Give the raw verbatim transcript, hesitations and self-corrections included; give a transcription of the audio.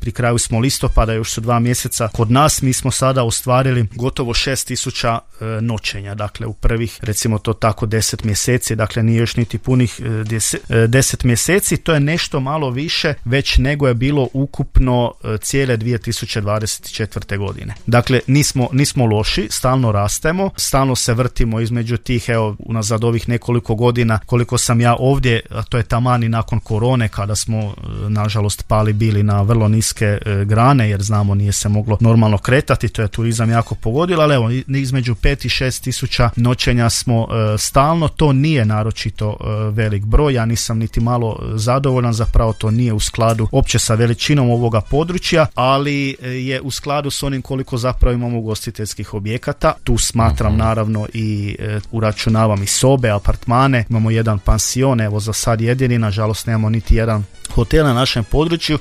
pri kraju smo listopada, još su dva mjeseca kod nas, mi smo sada ostvarili gotovo šest tisuća e, noćenja, dakle u prvih, recimo to tako, deset mjeseci, dakle nije još niti punih e, deset, e, deset mjeseci, to je nešto malo više već nego je bilo ukupno e, cijele dvije tisuće dvadeset četvrte godine. Dakle, nismo, nismo loši, stalno rastemo, stalno se vrtimo između tih, evo, unazad ovih nekoliko godina koliko sam ja ovdje, a to je taman i nakon korone, kada smo nažalost pali bili na vrlo niske e, grane, jer znamo nije se moglo normalno kretati, to je turizam jako pogodilo, ali evo, između pet i šest tisuća noćenja smo e, stalno, to nije naročito e, velik broj, ja nisam niti malo zadovoljan, zapravo to nije u skladu opće sa veličinom ovoga područja, ali je u skladu s onim koliko zapravo imamo ugostiteljskih objekata. Tu smatram naravno i e, uračunavam i sobe, apartmane, imamo jedan pansion, evo za sad jedini, nažalost nemamo niti jedan hotel na našem području,